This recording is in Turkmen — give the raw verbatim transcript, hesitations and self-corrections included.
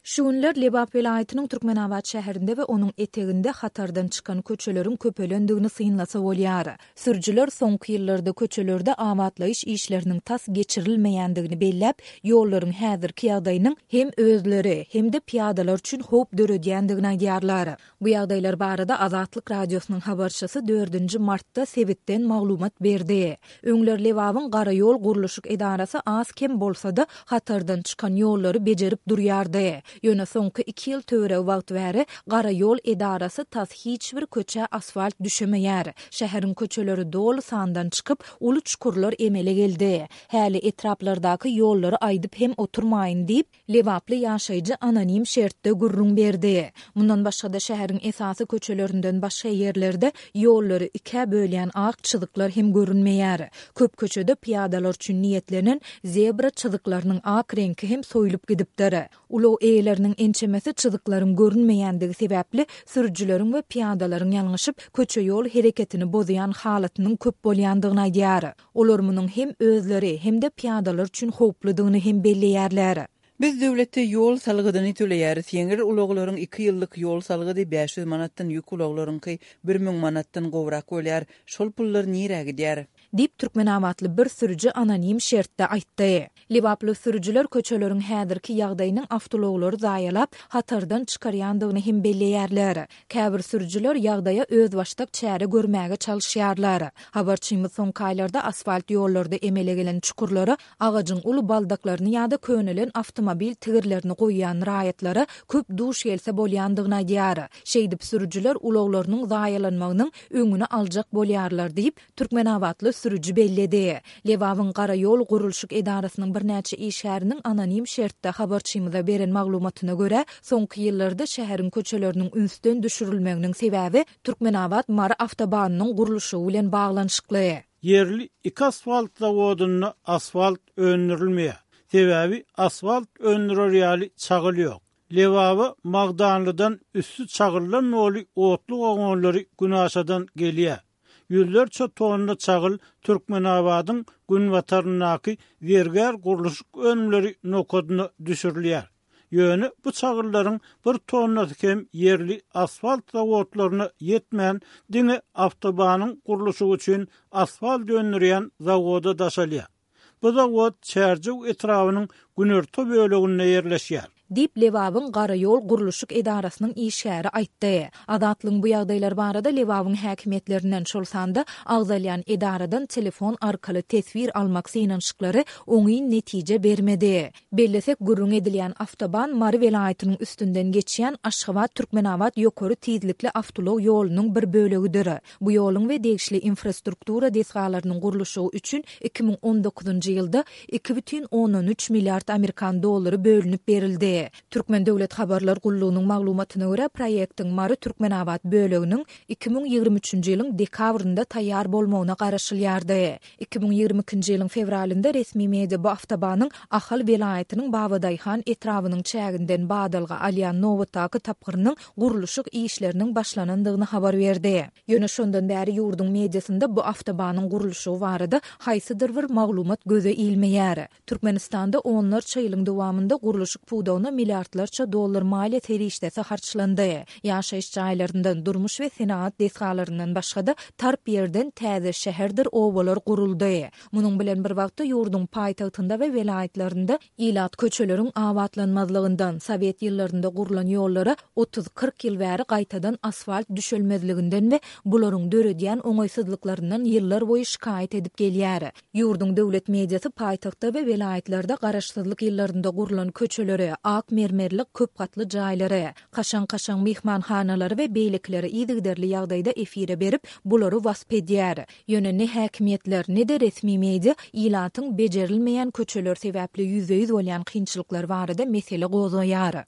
Şu günler Lebap welaýatynyň Türkmenabat şäherinde we onuň eteginde hatardan çykan köçeleriň köpelendigini synlasa bolýar. Sürüjiler soňky ýyllarda köçelerde abatlaýyş işleriniň tas geçirilmeýändigini belläp, ýollaryň häzirki ýagdaýynyň hem özleri, hem-de pyýadalar üçin howp döredýändigini aýdýarlar. Bu ýagdaýlar barada Azatlyk Radiosynyň habarçysy dördünji martda sebitden maglumat berdi. Öňler Lebabyň garaýol gurluşyk edarasy az-kem bolsa-da hatardan çykan ýollary bejerip durýardy. Ýöne soňky iki ýyl töweregi wagt bäri garaýol edarasy tas hiç bir köçä asfalt düşemeýär. Şäheriň köçeleri doly sandan çykyp, uly çukurlar emele geldi. Häli etraplardaky ýollary aýdyp hem oturmaýyn diýip, lebaply ýaşaýjy anonim şertde gürrüň berdi. Mundan başga-da şäheriň esasy köçelerinden başga ýerlerde ýollary ikä bölýän ak çyzyklar hem görünmeýär. Köp köçede pyýadalar üçin niýetlenen zebra çyzyklarynyň ak reňki hem soýlup gidipdir. Ulag eýeleriniň ençemesi çyzyklaryň görünmeýändigi sebäpli sürüjileriň we pyýadalaryň ýalňyşyp köçe-ýol hereketini bozýan halatynyň köp bolýandygyny aýdýar. Olar munuň hem özleri, hem-de pyýadalar üçin howpludygyny hem belleýärler. Biz döwlete ýol salgydyny töleýäris. Ýeňil ulaglaryň iki ýyllyk ýol salgydy bäş ýüz manatdan ýük ulaglaryňky bir müň manatdan gowrak bolýar. Şol pullar nirä gidýär? Diýip, türkmenabatly bir sürüji anonim şertde aýtdy. Lebaply sürüjiler köçeleriň häzirki ýagdaýynyň awtoulaglary zaýalap, hatardan çykarýandygyny hem belleýärler. Käbir sürüjiler ýagdaýa özbaşdak çäre görmäge çalyşýarlar. Habarçymyz soňky aýlarda asfalt ýollarda emele gelen çukurlara agajyň uly baldaklaryny ýa-da könelen awtomobil tigirlerini goýýan raýatlara köp duş gelse bolýandygyny aýdýar. Şeýdip, sürüjiler ulaglarynyň zaýalanmagynyň öňüni aljak bolýarlar diýip, türkmenabatly sürüji belledi. Lebabyň garaýol gurluşyk edarasynyň birnäçe işgäriniň anonim şertde habarçymyza beren maglumatyna görä, soňky ýyllarda şäheriň köçeleriniň ünsden düşürilmeginiň sebäbi Türkmenabat-Mary awtobanynyň gurluşygy bilen baglanyşykly. Ýerli iki asfalt zawodynda asfalt öndürilmeýär. Sebäbi asfalt öndürer ýaly çagyl ýok. Lebaba Magdanlydan üsti çagyldan doly otly wagonlary günaşadan gelýär. Ýüzlerçe tonna çagyl Türkmenabadyň günbataryndaky Zergär gurluşyk önümleri nokadyna düşürilýär. Ýöne bu çagyllaryň bir tonnasy hem ýerli asfalt zawodlaryna ýetmän, diňe awtobanyň gurluşygy üçin asfalt öndürýän zawoda daşalýar. Bu zawod Çärjew etrabynyň günorta böleginde ýerleşýär. Diýip, Lebabyň garaýol gurluşyk edarasynyň işgäri aýtdy. Azatlygyň bu ýagdaýlar barada Lebabyň häkimiýetlerinden, şol sanda agzalýan edaradan telefon arkaly teswir almak synanyşyklary oňyn netije bermedi. Bellesek, gürrüň edilýän awtoban Mary welaýatynyň üstünden geçýän Aşgabat-Türkmenabat ýokary tizlikli awtoulag ýolunyň bir bölegidir. Bu ýoluň we degişli infrastruktura desgalarynyň gurluşygy üçin iki müň on dokuzynjy ýylda iki bütin ondan üç milliard amerikan dollary bölünip berildi. Türkmen döwlet habarlar gullugynyň maglumatyna görä, proýektiň Mary-Türkmenabat böleginiň iki müň ýigrimi üçünji ýylyň dekabrynda taýýar bolmagyna garaşylýardy. Iki müň ýigrimi ikinji ýylyň fewralynda resmi media bu awtobanyň Ahal welaýatynyň Babadaýhan etrabynyň çäginden badalga alýan nobatdaky tapgyrynyň gurluşyk işleriniň başlanandygyny habar berdi. Ýöne şondan bäri ýurduň mediasynda bu awtobanyň gurluşygy barada haýsydyr bir maglumat göze ilmeýär. Türkmenistanda onlarça ýylyň dowamynda gurluşyk pudagyna milliardlarça dollar maliýe serişdesi harçlandy. Ýaşaýyş jaýlaryndan, durmuş we senagat desgalaryndan başga-da tarp ýerden täze şäherdir obalar guruldy. Munuň bilen bir wagtda ýurduň paýtagtynda we welaýatlarynda ilat köçeleriň abatlanmazlygyndan, sowet ýyllarynda gurlan ýollara otuz-kyrk ýyl bäri gaýtadan asfalt düşelmezliginden we bularyň döredýän oňaýsyzlyklaryndan ýyllar boýy şikaýat edip gelýär. Ýurduň döwlet mediasy paýtagtda we welaýatlarda garaşsyzlyk ýyllarynda gurlan köçeleri, ak mermerli köp gatly jaýlary, kaşaň-kaşaň myhmanhanalary we beýlekileri yzygiderli ýagdaýda efire berip, bulary wasp edýär. Ýöne ne häkimiýetler, ne-de resmi media ilatyň bejerilmeýän köçeler sebäpli ýüzbe-ýüz bolýan kynçylyklar barada mesele gozgaýar.